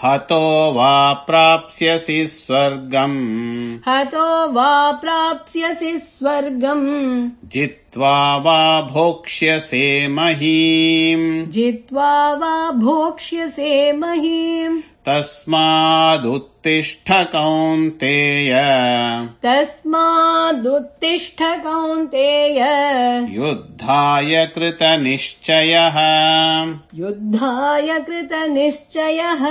हतो वा प्राप्स्यसि स्वर्गम् हतो वा प्राप्स्यसि स्वर्गम् जित्वा वा भोक्ष्यसे महीम् जित्वा वा भोक्ष्यसे महीम् तस्मादुत्तिष्ठ कौन्तेय तस्मादुत्तिष्ठ कौन्तेय युद्धाय कृतनिश्चयः युद्धाय कृतनिश्चयः